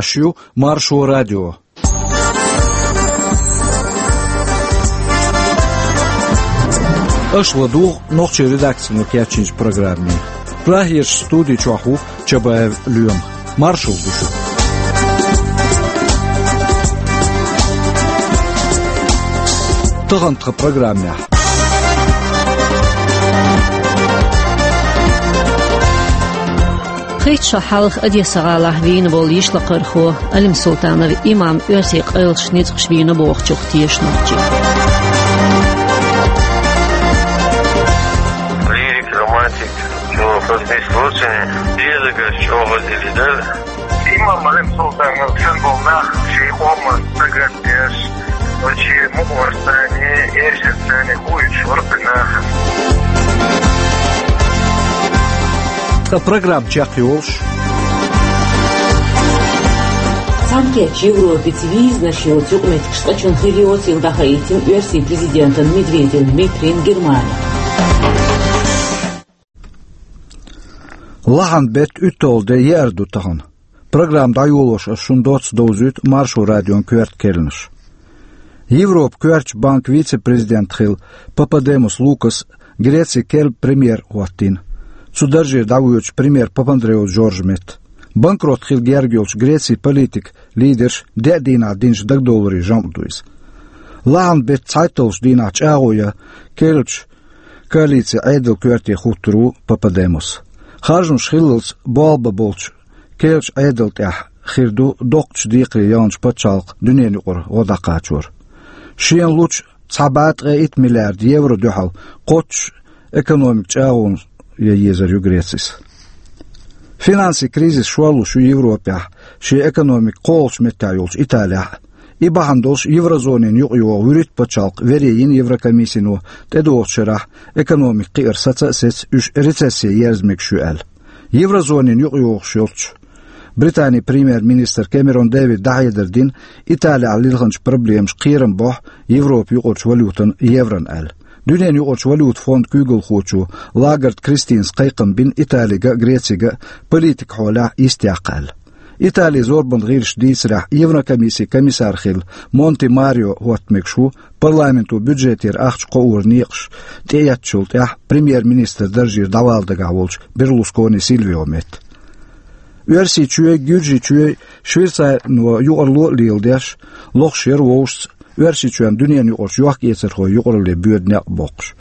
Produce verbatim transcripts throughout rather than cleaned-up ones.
Аш ю Маршо радио. Аш ладугӀу нохчийн редакцино кечйинчу программе. Прагерчу студи чохь ву Чабаев Лоьма. Маршалла ду шуьга. Тахана тхан программехь. Кхечу шо хьалха Одесса гӀалахь вийна волу йишлакхархо Алим Султанов имам оьрсийн къайлаш ницкъаш вийна бохучух тешнарчи. Лирик, романтик, чӀогӀа хаза нисло цуьнан, дезагаш чӀогӀа дили дара. Имам Алим Султанов санна болу нах шен къоман стагат деш, оцу шен мукъорцане, эшарцане хуьйцуш вара кхин нах. Ткъа программа чекхйолуш. Цхьаьнакхеттачу Европица визанаш йоцу юкъаметтигаш цкъачунна хир йоцийла дӀахаийтина оьрсийн президентан Медведев Дмитрийн Германи. Лахьан беттан уьтталгӀа де еара ду тахана. Программа дӀайолош ас шуна доцца довзуьйту Маршо радион коьрта керланаш. Европан коьртачу банкан вице-президент хилла Пападемус Лукас Грецин керла премьер хӀоттийна. Цу даржера дӀавоьдуш премьер Папандреу Джорджа метта. Банкрот хила герга йолчу Грецин политикан лидерша деа дийнахь динчу дагадовларийн жамӀ ду иза. Лахьан беттан цхьайтталгӀачу дийнахь чӀагӀо ян керлачу коалицин Ӏедалан коьрте хӀуттур ву Пападемус. Харжамаш хиллалц болх бан болчу керлачу Ӏедал тӀехь хир ду доккхачу декхаре яханчу пачхьалкхан дуьненан юкъара гӀо дӀакхачор. Шена лучу цхьа бӀе ткъе итт миллиард евро дуьхьал кхоччуш экономикан чӀагӀонаш ян езар ю Грецис. Финансийн кризис шорлуш ю Европехь шен экономика кхоалгӀачу меттехь йолчу Италехь а. И бахьана долуш еврозонина юкъайогӀу вуьрхӀитта пачхьалкх вере йина Еврокомиссино тӀедогӀучу шарахь экономика кхиар саца а сецна, уьш рецессе ерза мегаш ю аьлла. Еврозонина юкъайогӀуш йолчу Британин премьер-министра Кэмерон Дэвида дӀахьедар дина Италехь лилхинчу проблемаш кхерам бохьу Европан юкъарчу валютана еврона аьлла. Дуьненан юкъарчу валютан фондан куьйгалхочо Лагард Кристинас кхайкхам бина Италига а, Грецигара а политикан хьолехь йистехьа аьлла. Италин зорбанан гӀирсаша дийцарехь, Еврокомиссин комиссар хилла Монти Марио хӀотта мегаш ву парламенто бюджетера ахча кхооран некъаш тӀеэцначул тӀаьхьа премьер-министран даржера дӀавала дагахь волчу Берлускони Сильвион метта. Оьрсийчоьнан, Гуьржийчоьнан, Швейцарино юкъаралла а леладеш, лохуш яра вовшашца Оьрсийчоьнна дуьненан юкъарчу йохк-эцархойн юкъаралле боьду некъ боккхуш.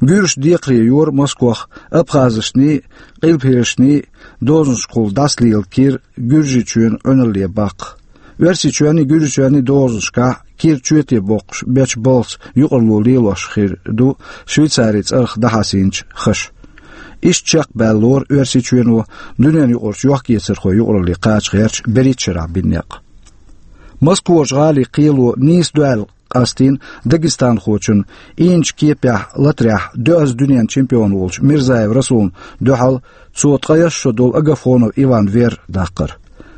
Гуьржаша декхаре йора Москох абхазашний, къилбахьершний дозанашкахула дӀасалела кира Гуьржийчоьнан Ӏуьналле баккха. Оьрсийчоьнний, Гуьржийчоьнний дозанашкахь кира чоьте боккхуш бечу балхаца юкъаралла лелош хир ду Швейцарин цӀарах дӀахьаьсинчу хаша. Иштта чекхбаьлла лору Оьрсийчоьно дуьненан юкъарчу йохк-эцархойн юкъаралле кхача гӀерташ берхӀитта шарахь бина некъ. Москварчу гӀалин кхело нийса дуьхьал къастийна дагестанхочун ийначу кепехь латарехь доьазза дуьненан чемпион волчу Мирзаев Расулна дуьхьал цо ткъе исс шо долу Агафонов Иван вер даккхар.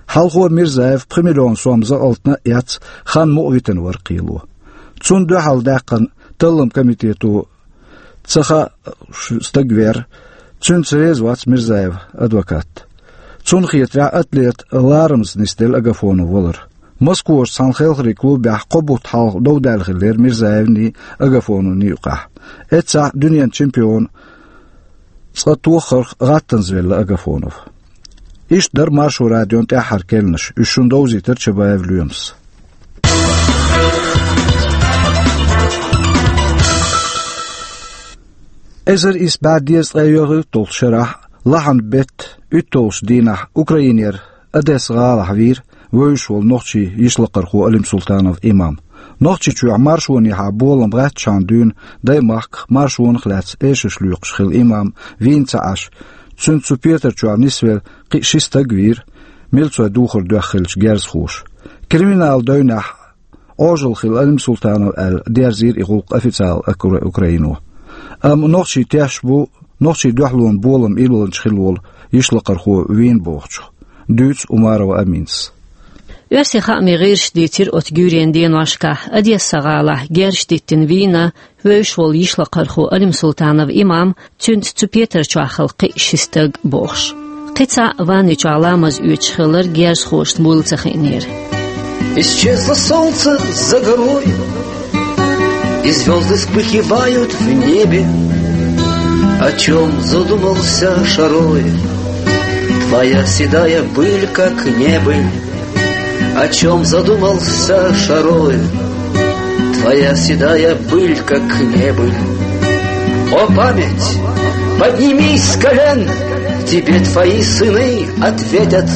Хьалхо Мирзаев пхи миллион сом закъалтана а эцна, хан мукъа витина вара кхело. Цунна дуьхьал даьккхина талламан комитето ца хаьа ш-, стаг вер, цуьнца реза вац Мирзаевн адвокат. Цунна хетарехь, атлета ларамаза нисделла Агафонов валар. Москварчу цхьана хелхарийн клубехь кхо бутт хьалха дов даьлла хиллера Мирзаевний, Агафоновний юкъахь. Эццахь дуьненан чемпион цкъа тоххарх гӀаттанза велла Агафонов. Иштта дара Маршо радион тӀаьххьара керланаш, уьш шуна довзийтира Чабаев Лоьмас. Эзар исс бӀе дезткъе йоьалгӀа долчу шарахь, лахьан беттан уьтталгӀачу дийнахь Украинера Одесса гӀалахь вийра вевзаш волу нохчийн йишлакхархо Алим Султанов имам. Нохчийчохь маршонехьа болам гӀаьттачхьана дуьйна даймахках, маршонах а лаьцна эшарш лоькхуш хилла имам вийна ца Ӏаш, цуьнца цу петар чохь нисвелла кхин а ши стаг вийра, милцойн духар доьхна хиллачу герзахоша. Криминалан девнехь Ӏожалла хилла Алим Султанов аьлла, дерзийра и гӀуллакх официалан акра-, Украино. Амма нохчий тешаш бу, нохчийн дуьхьалонан болам иллалц хилла волу йишлакхархо вийна бохучух, дуьйцу Умарова Аминас. Оьрсийн хаамийн гӀирсаша дийцира оцу гуьйренан деношкахь Одесса гӀалахь герзаш диттина вийна вевзаш волу йишлакхархо Алим Султанов имам, цуьнца цу петар чохь хилла кхин а ши стаг бохуш. Кхин цхьа ванна чохь ламаз оьцуш хилар герзахошна буйла ца хиънера. Исчезло солнце за горой, и звёзды вспыхивают в небе. О чём задумался Шарой? Твоя седая быль, как небыль. О чём задумался Шарой? Твоя седая быль, как небыль. О, память, поднимись с колен, тебе твои сыны ответят.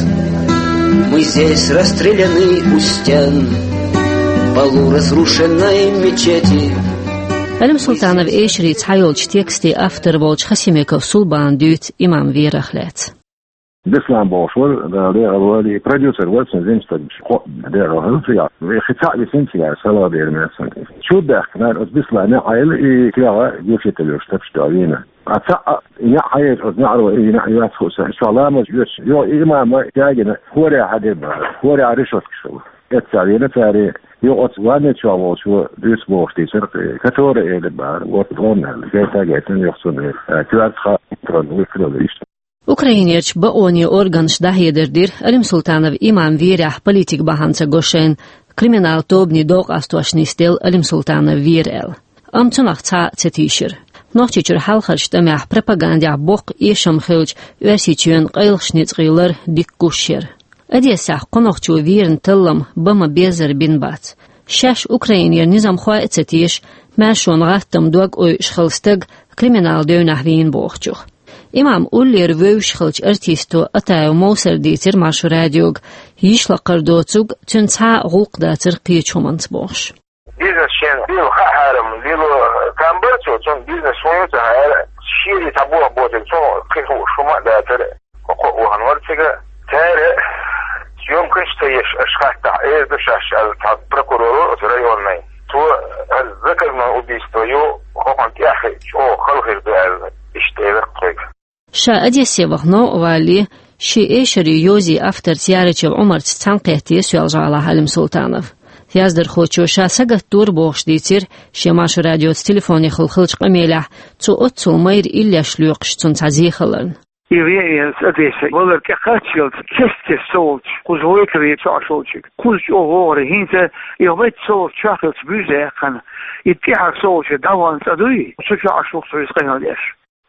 Мы здесь расстреляны у стен полуразрушенной мечети. Алимсултанов эшаре цхьайолчу текстийн автор волчу Хасимиков Сулбана дуьйцу имам верах лаьцна. Беслан бохуш вара, Дала декъала войла, и продюсер вара цуьнан, жима стаг, кхо декъала хилла цигахь. Вай хи цхьаъ висина цигахь, салха дера меца. Чу даьхкина, оцу Беслана неӀ Ӏайла и тоьгӀа гучуьйталуш тапаш дуьйна. А цхьаъ неӀ Ӏайла, оцу неӀаро и неӀ йоцу хууш, ша ламаз оьцуш, йо, и имама ягийна, хӀора хьадина бара, хӀора решёткаш хилла. Эццахь вийна цара, йо, оцу ванна чохь волчо дуьйцу бохуш дийцира, который элира бара, вот он аьлла, гайта а гайтина, йо, цунна, э, коьрта хаа, вуьйцур ву иштта. Украинерчу бакъонийн органаша дӀахьедар дира, Алимсултанов имам верехь политик бахьана ца го шайна, криминал тобанийн дов къастош нисделла Алимсултанов вера аьлла. Амма цунах цхьа а ца тийшира. Нохчийчуьра хьалхарчу тӀамехь пропагандехь боккха эшам хилча, Оьрсийчоьнан къайлахчу ницкъийн лар дика гуш яра. Одессехь кху нохчо верна таллам бан ма-беззара бина бац. Шаьш Украинера низамхой а ца теша, маьршонан гӀаттам дог ойуш хилла стаг криминал девнахь вийна бохучух. Имам уллера вевзаш хиллачу артисто Атаев Мовсара дийцира Маршо радиога, йишлакхара доцург цуьнан цхьа а гӀуллакх дацара кхечу хӀуманца бохуш. Бизнес шен лело хаьа хьарам, лело там бара цо, цунна бизнес хӀун ю ца хаьара, шера цхьа болх боцург цунна кхин хууш хӀума а дацара, кхо-кхо а вахана вара цига. Цара съёмкаш ца еш, аша хаттахь, эр ду шаьш аьлла, цхьа прокурор вара оцу районный. Цо, ас заказное убийство ю, хӀокхунна тӀехь хиъча, чӀогӀа хала хир ду аьлла, иштта элира тхоьга. Ша Одессе вахана новкъа валале, шен эшарийн йозийн авторца Ярачев Ӏумарца цхьаьнакхетта Соьлжа-ГӀалахь Алимсултанов. Яздархочо ша сагатдора бохуш дийцира шен Маршо радиоца телефонехула хиллачу къамелехь, цо оццул майра иллеш лоькхуш цунна цхьа зе хиларна. И вен Одессе валар тӀекхаччалц, кест-кест со волчу, кхуза вайтаре со Ӏаш волчуьнга. Кхуза чӀогӀа вогӀура хӀинца, и вайта со волчу чохь хилча буьйса яьккхина. И тӀаьхьара со волчу дӀавахана цӀа дуй, цу чохь Ӏаш ву-кх со иза къамел деш.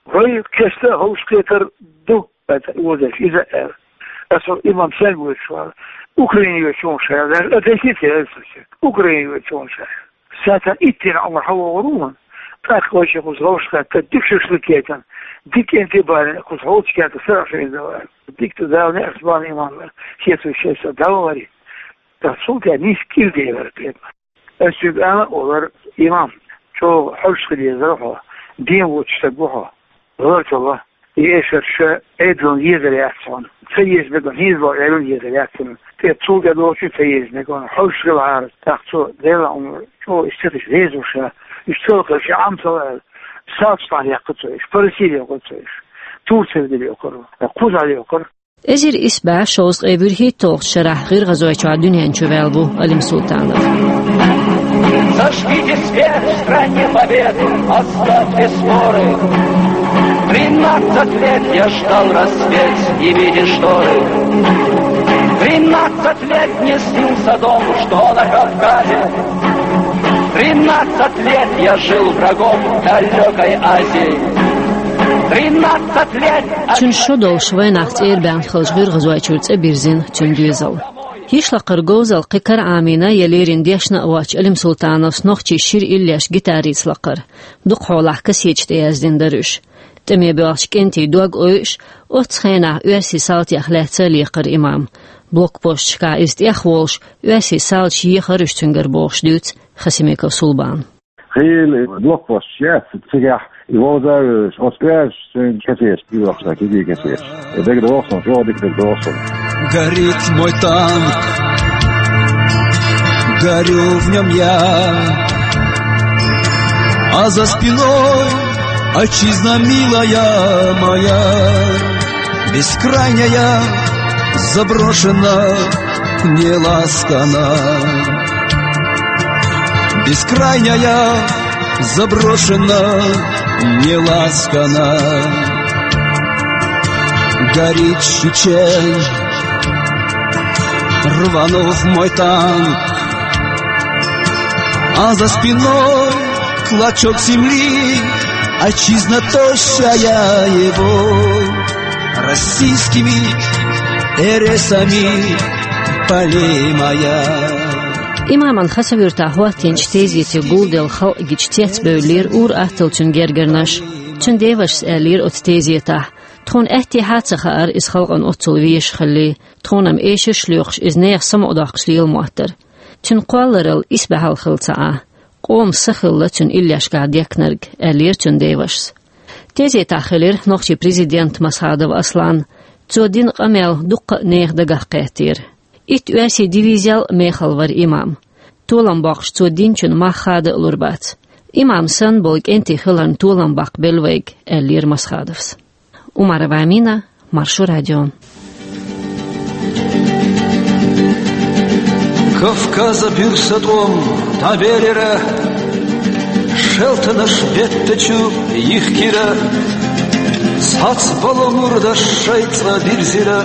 Вай кеста а ховшахкхетар ду, аьлла, и вон деш, иза а аьлла. Аса имам стенга воьдуш вара? Украине воьдуш ву ша аьлла, Одессе ца аьлла со шега. Украине воьдуш ву ша аьлла. Саьтан иттанна Ӏумар хьавогӀур ву хьуна. ТӀаккха вайша кхуза вовшахкхетта, дика шашлык яйтина, дика кӀентий балийна, кхуза хьоьлчу кӀентан сарахь шайна дан вара. Дика ду, Дала неӀарш бан имам вара. Хеташ шайн са дӀавахара. Ткъа цул тӀаьхьа нийса кӀира девара кхетар. Ас шуьга ала а олура, имам, чӀогӀа хьовш хила дезара хьо, ден воцуш стаг ву хьо. ГӀалар ца ло. И эшарш Ӏедална езар яц хьуна. Ца еза мегар, хӀинца боху Ӏедална езар яц хьуна. ТӀе цул тӀе долчу ца еза мегар, хьовш хилахьара, тӀаккха цо, Делан Ӏумар, чӀогӀа иштта ца деш реза ву ша, уьш ца лакхара шен Ӏам ца ло аьлла. Салташ дӀа а яьккхира цо уьш, Парасире йоккхура цо уьш, Турце дӀа а йоккхура, кхузахь а йоккхура. Эзар исс бӀе шовзткъе вуьрхӀитталгӀачу шарахь ГӀиргӀазойчохь дуьнен чу ваьлла ву Алимсултанов. Зажгите свет в стране победы, оставьте споры. Тринадцать лет я ждал рассвет, снимите шторы. Тринадцать лет мне снился дом, что на Кавказе. Тринадцать лет я жил врагом в далёкой Азии. Тринадцать лет. Цуьнан шо долуш вайнах цӀера баьхна хиллачу ГӀиргӀазойчуьра цӀа бирзина цуьнан доьзал. Йишлакхара говзалла кхин кара Ӏамийна я леррина дешна а воцчу Алимсултановс нохчийн шира иллеш гитарица лакхара. Дукха хьолахь кассеташ тӀеяздина дара уьш. ТӀаме боьлхучу кӀентийн дог ойуш, оццу хенахь оьрсийн салтех лаьцна а лекхара имам. Блокпосташкахь иза тӀехволуш, оьрсийн салташа ехара уьш цуьнгара бохуш дуьйцу Хасимиков Сулбана. Хийла блокпосташ яц цигахь, и вовза а вевзаш, оцу оьрсашца цуьнга кассеташ тӀейохуш дан, кегий кассеташ. И дагадогӀу суна, чӀогӀа дика дагадогӀу суна. Горит мой танк, горю в нём я, а за спиной отчизна милая моя, бескрайняя, заброшена, не ласкана. Бескрайняя, заброшена, не ласкана. Горит Чечен, рванув мой танк, а за спиной клочок земли, отчизна тощая его российскими эресами полемая. Имаман Хасавюртахь хӀоттийначу тезете гулделла халкъ гича цецбевллера ур-атталла цуьнан гергарнаш. Цуьнан девашас аьллера оцу тезетахь: «Тхуна аьттехьа а ца хаьара иза халкъана оццул везаш хилла. Тхуна-м эшарш а лоькхуш, иза нехан самукъадоккхуш лела моттара. Цуьнан кхолларалла исбаьхьалла хилла ца Ӏа. Къоман са хилла цуьнан иллешкахь дехкинарг», — аьллера цуьнан девашас. Тезетахь хилира нохчийн президент Масхадов Аслан. Цо дина къамел дуккха а нехан дагах кхеттера. Итт оьрсийн дивизел а мехала вара имам. Толам боккхуш цо динчун мах хада а лур бац. Имам санна болу кӀентий хиларна толам баккха белла вайга, аьллера Масхадовс. Умарова Амина, Маршо радио. Кавказа буьрса тӀом дӀаберира, шелтанаш беттачу йихкира, цхьацца балу мурдаш шайн цӀа дирзира.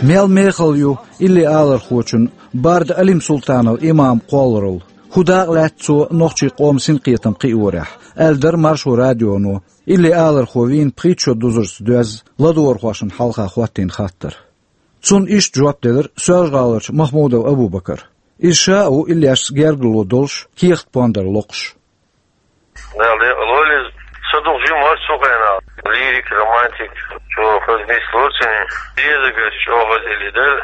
Мел мехала ю илли алархочун Барда Алим-Султанов имам кхолларалла. ХӀун дакъа лаьтта цо нохчийн къоман синкхетам кхиорехь, аьлла дара Маршо радионо, илли алархо вийна пхийтта шо дузарца доьзна ладогӀархошна хьалха хӀоттийна хаттар. Цунна иштта жоп делира Соьлжа-ГӀаларчу Махмудов Абу-Бакара. Иза ша а ву иллешца гергарло долуш, кехат-пондар локхуш. Дала декъала войла иза. Са дукха жима вара цу хенахь. Лирик, романтик, чӀогӀа хаза нислора цуьнан. Дезагаш чӀогӀа хаза илли дара.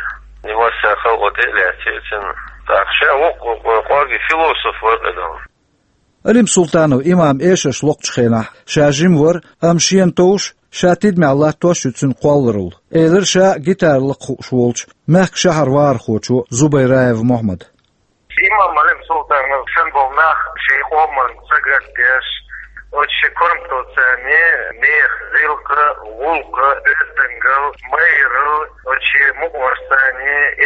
Нимассехь халкъо тӀе а лаьцнера цуьнан. ТӀаккха ша воккха, кӀорге философ вара кхидӀа. Алим-Султанов имам эшарш локхучу хенахь ша жима вара, амма шена товш, ша тидамехь латтош а ю цуьнан кхолларалла, элира ша гитара лакха хууш волчу мехкан шахьаран вахархочо Зубайраев Мохьмада. Имам Алим-Султанов санна болу нах шайн къоман сагатдеш, оцу шен корматаллица нехан зилкха, гӀуллакх, оьздангалла, майралла, оцу шен мукъамашца,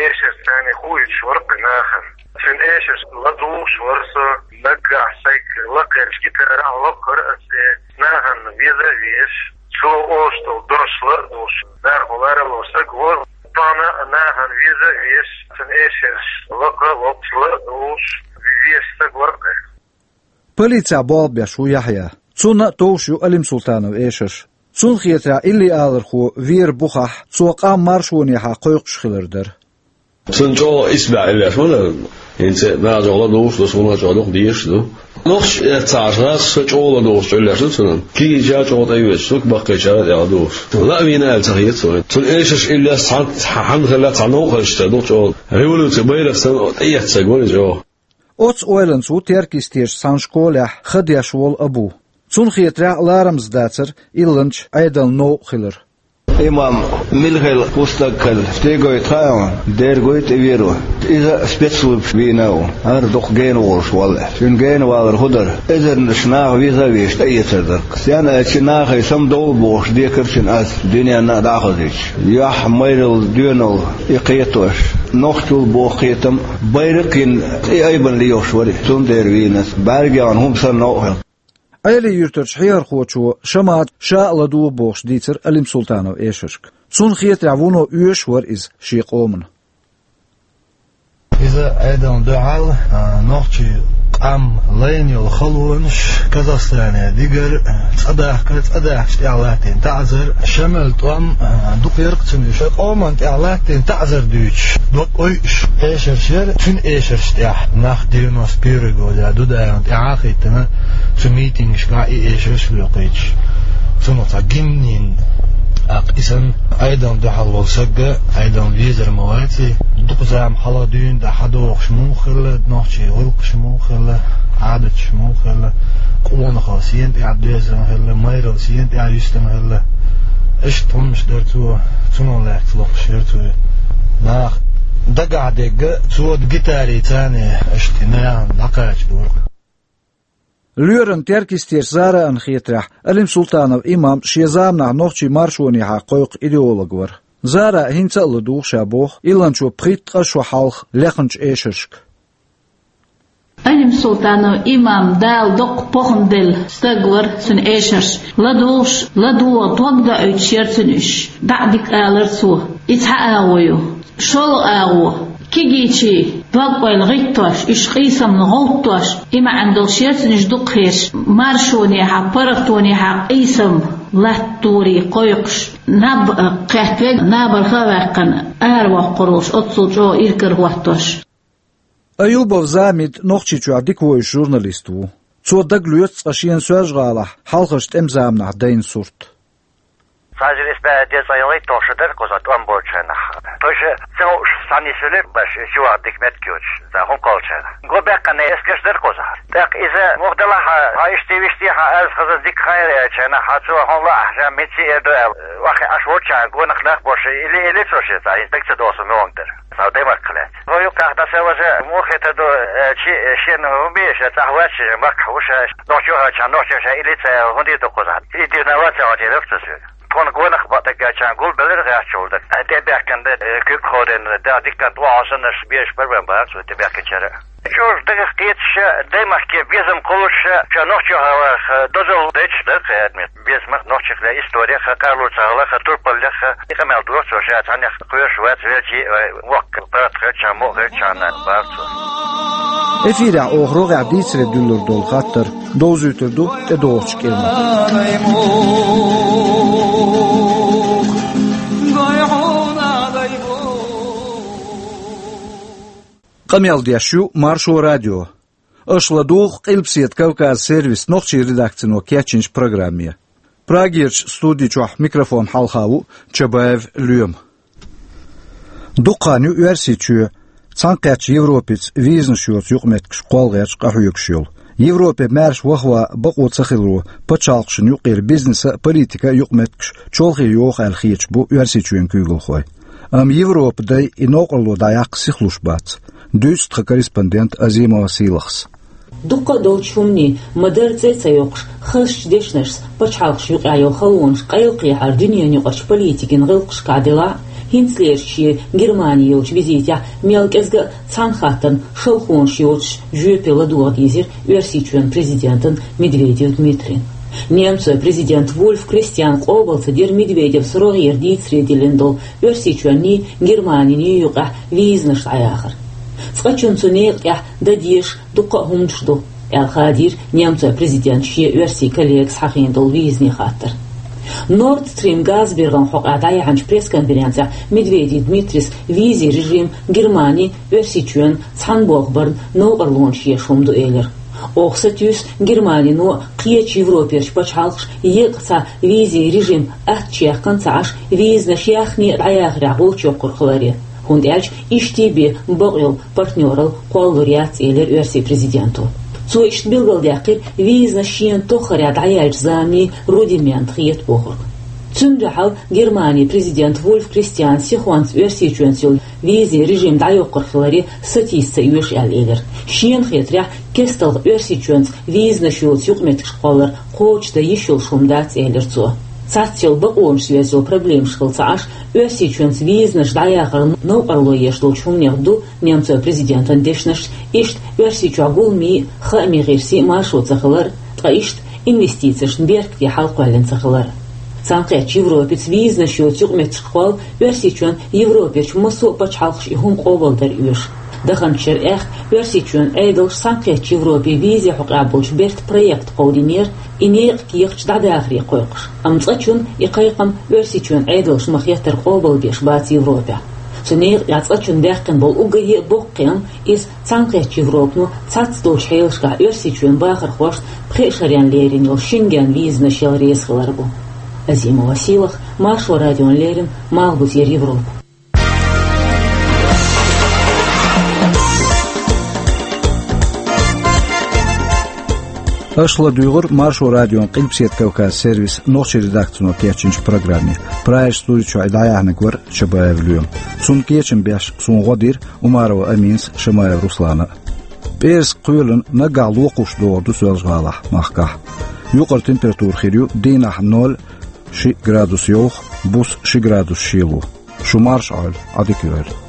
эшарца хуьйцуш вара кхин нахана. Цуьнан эшарш ладугӀуш вара со, наггахь сайга лакхарчу гитарахь локхура аса, нахана веза а везаш, цо олуш долу дош ла а лууш, нахана ларалуш саг вара. Тахана а нахана веза а везаш, цуьнан эшарш лакха а локхуш, ла а лууш, везаш саг вара кхин. Полицехь болх беш ву Яхьъя. Цунна а товш ю Алим-Султанов эшарш. Цунна хетарехь, илли алархо веран бухахь, цо къам маршонехьа кхойкхуш хилар дара. Цунна чӀогӀа исбаьхьа иллеш ма дара. ХӀинца а нажах ладугӀуш ду, суна чӀогӀа дукха дезаш ду. Нохчаша эццахьаш гӀазкхаша чӀогӀа ладугӀуш Ӏуьллеш ду цунна. Кегийчара чӀогӀа тӀе а оьцуш, баккхийчара а тӀе ладугӀуш. Лаа вийна аьлла ца хета суна. Цуьнан эшарш иллеш цхьаьна, хьанна хилла цхьа новкъа хезча ца ду чӀогӀа. Революцин байракх санна тӀеэцна саг вара иза чӀогӀа. Оцу ойланца ву Теркйистечу цхьана школехь хан деш волу Абу. Цунна хетарехь, ларамза дацара илланчу Ӏедална новкъа хилар. Имам мила хилла, хӀун стаг хилла, стегойту хаьа хьуна, дерг гойту и веро. Иза спецслужбаш вийна а ву, хӀара дукха гена волуш валла. Цуьнан гена валар хӀун дара? Эзарнаш наха веза а везаш, тӀеэцар дара. Стенна аьлча, нахе самадовла бохуш декара цуьнан аз, дуьненна а дӀа а хазийтуш. Юьхь, майралла, доьналла и кхетош, нохчалла боху кхетам байракх а йина, и айбанна лелош вара и. Цундела вийна аса, бӀаьргех хӀума санна новкъа хилла. Ӏели-Юьртарчу хьехархочо Шамада ша а ладугӀу бохуш дийцира Алим-Султанов эшаршка. Цунна хетарехь, вуно оьшуш вара иза шен къомана. Иза Ӏедална дуьхьал, а, нохчийн къам лайна йолу халонаш, Казахстане дигар, а, цӀа дахкар, цӀа даьхкича тӀехь латтийна таӀзар, Шамал тӀом, а, дукха яра-кх цуьнан, шайн къомана тӀехь латтийна таӀзар дуьйцуш, дог ойуш эшарш яра, цуьнан эшаршна тӀехь нах девяносто первый годехь Дудаевна тӀаьхьа а хӀиттина, цу митингашкахь и эшарш а лоькхуьйтуш, цунах цхьа гимн йина. ТӀаккха и санна Ӏедална дуьхьал волу саг Ӏедална везар ма вац и. Дукха зама хьалха дуьйна дӀа хьадогӀуш муха хилла, нохчийн гӀуллакхаш муха хилла, Ӏадаташ муха хилла, къонахалла сена тӀехь доьзна хилла, майралла сена тӀехь юьстина хилла. Иштта хӀуманаш дара цо, цунах лаьцна локхуш яра цо. Наха дагахь дерг цо гитарий царна, иштта нахана дӀакхачадора. Лоьран Теркйистерчу Зараана хетарехь, Алим-Султанов имам шен заманахь нохчийн маршонехьа кхойкху идеолог вара. Зара хӀинца а ладугӀу ша боху илланчо пхийтта-ткъа шо хьалха лехначу эшаршка. Алим-Султанов имам Дала доккха похӀма делла стаг вара, цуьнан эшарш ладугӀуш, ладугӀа дог доуьйтуш яра цуьнан уьш. ДӀа а дика алара цо. И цхьа агӀо ю. ШолгӀа агӀо. Кегийчийн дог-ойла гӀиттош, уьш къийсамна гӀовттош, и маьӀна долуш яра цуьнан уьш дукха хеташ, маршонехьа, паргӀатонехьа къийсам латторе кхойкхуш, наб а кхетта вега, набарха а ваьккхина, аравоккхур волуш, оццул чӀогӀа иракарахӀоттош. Аюбов Замид Нохчийчохь дика вевзаш журналист ву. Цо дагалоьцу цкъа шена Соьлжа-ГӀалахь хьалхарчу тӀеман заманахь дайна сурт. Цхьа эзар исс бӀе дезткъе ялхитталгӀа шо дара кхузахь тӀом болчу хенахь. Тхойша ца хууш, цхьана йисвелира баш, чувагӀа дика меттиг йоцуш, цхьа хӀума кхоллучарна. Го баьккхина эскарш дара кхузахь. ТӀаккха иза муха делахь а, хьан иштта вистий, хьан аьлла хаза дика хан яра аьллачарна, хьан цо хьуна лаахь, ша митций эр ду аьлла, ваххе Ӏаш волчарна гонах нах бош, или, или цо шен цхьа, иза дагца доьсу муьлханг дара. Цхьа Даймахка лаьцна. Хьо юкъахь дӀасаваза, муха хета ду, э, чи, э, шена хӀун бе, ша цӀахь вац, ша махкахь ву ша, нохчо хьаьча, нохчо ша, или ца аьлла, хӀун дийр ду кхузахь? И дийр на вац, ца хьо дийр ду ца соьга. Тхуна гонах бакъ даггачарна гулбелира гӀаьччул дара. Э, тӀебаьхкина дара, э, куьг хьо дена, да, дикка тӀо хьо саннаш, беш барбан бац, тӀебаьхкинчара. Чуьра дагах кхеташ, Даймахке безам кхуллуш, ша нохчо хьаваха, дозалла дайчаш дара кхе адмет. Безамах нохчех ле история ха, къарлуца хала ха, турпаллех ха, и къамел дора цо ша цхьаннех кхоьруш вац, велчи, э, воккха паргӀат хилча, мукъа хилча, бара цо. Эфирехь оха рогӀехь дийцаре дуьллур долу хаттар довзуьйтур ду тӀедогӀучу кӀирнах. Къамел деш ю Маршо радио. Аша ладугӀу Къилбаседа Кавказ сервисан нохчийн редакцино кечйинчу программе. Прагерчу студи чохь микрофон хьалха ву Чабаев Лоьма. Дукха хан ю Оьрсийчоь Цхьаьнакхеттачу Европица визанаш йоцу юкъаметтигаш кхолла гӀерташ къахьоьгуш йолу. Европе маьрша вахаван бакъо ца хиларо пачхьалкхашна юкъара бизнеса а, политика а юкъаметтигаш чолхе йоху аьлла хеташ бу Оьрсийчоьнан куьйгалхой. Амма Европа дай и новкъарло дӀаяккха сихлуш бац, дуьйцу тхан корреспондент Азимова Сийлахьас. Дуккха а долчу хӀуманийн ма-дарра цӀе а ца йоккхуш, хазачу дешнашца пачхьалкхашна юкъахь йолу халонаш къайлакхехьара дуьненаюкъарчу политикин гӀиллакхашкахь делахь а, хӀинцалерчу шен Германи йолчу визитехь мел кӀезга а цхьана хаттарна шалхонаш йоцуш жоьпе ладогӀа дийзира Оьрсийчоьнан президентан Медведев Дмитрийна. Немцойн президент Вульф Кристиан къобал ца дира Медведевс рогӀера дийцаре диллина долу Оьрсийчоьнний Германиний юкъахь визанаш дӀаяхар. Цкъачунна цу некъа тӀехь дан дезаш дуккха а хӀуманаш ду, аьлла хадийра немцойн президентан шен оьрсийн коллегас хьахийна долу визанийн хаттар. Nord Stream газбергӀан хьокъехь дӀаяьхьначу пресс-конференцехь Медведев Дмитрийс визин режим Германи, Оьрсийчоьнан цхьаьна болх барна новкъарлонаш еш хӀума ду элира. Оха сатуьйсу Германино а, кхечу Европерчу пачхьалкхаша еккъа цхьа визин режим аттачех кхин ца Ӏаш, визанаш яхне а дӀаяхарехь гӀулч йоккхур хиларе. ХӀунда аьлча иштта бен бакъйолу партнералла кхоллалур яц, элира оьрсийн президенто. Цо иштта билгалдаьккхира визанаш шена тоххарехь дӀаяьллачу заманийн рудимент хета бохург. Цуьнан дуьхьал Германин президент Вульф Кристиан сихонца Оьрсийчоьнца йолу визин режим дӀайоккхур хиларе сатийса ца оьшу аьлла элира. Шена хетарехь, кестта Оьрсийчоьнца визанаш йоцу юкъаметтигаш кхоллар кхочушдан йиш йолуш хӀума дац, элира цо. Цхьацца йолу бакъонашца йоьзна йолу проблемаш хилла ца Ӏаш, Оьрсийчоьнца визанаш дӀаяхар новкъарло еш долчу хӀуманех ду немцойн президентан дешнаш, иштта Оьрсийчохь гуламийн а, хаамийн гӀирсийн а маршо ца хилар, ткъа иштта инвестицешна беркате хьалакхоьллина ца хилар. Цхьаьнакхеттачу Европица визанаш йоцу юкъаметтигаш кхолла Оьрсийчоьнан Европерчу массо а пачхьалкхаша и хӀума къобалдар оьшу. Даханчу шарахь Оьрсийчоьнан Ӏедалша Цхьаьнакхеттачу Европе визин хьокъехь болчу бертан проект кховдийнера, и некъа кехаташ дӀадахаре кхойкхуш. Амма цкъачунна и кхайкхам Оьрсийчоьнан Ӏедалша ма-хеттара къобалбеш бац Европехь. Цу некъа тӀехь цкъачунна даьккхина болу уггаре а боккха кхиам иза Цхьаьнакхеттачу Европано цхьацца долчу хьелашкахь Оьрсийчоьнан бахархошна пхеа шарна лерина йолу Шенген визанаш яла реза хилар бу. Азимова Сийлахь, Маршо радиона леррина, Малхбузера Европа. Аша ладуьйгӀира Маршо радион Къилбаседа Кавказ сервисан нохчийн редакцино кечйинчу программе. Прагерчу студи чохь и дӀаяьхьнарг вара Чабаев Лоьма. Цунна кечам беш суна гӀо дира Умарова Аминас, Шамаев Руслана а. ПӀераска кхоьлина, наггахь локхуш догӀур ду Соьлжа-ГӀалахь, махкахь. Юкъара температура хир ю дийнахь ноль, ши градус йовха, буса ши градус шело. Шу марша Ӏойла, Ӏадика йойла.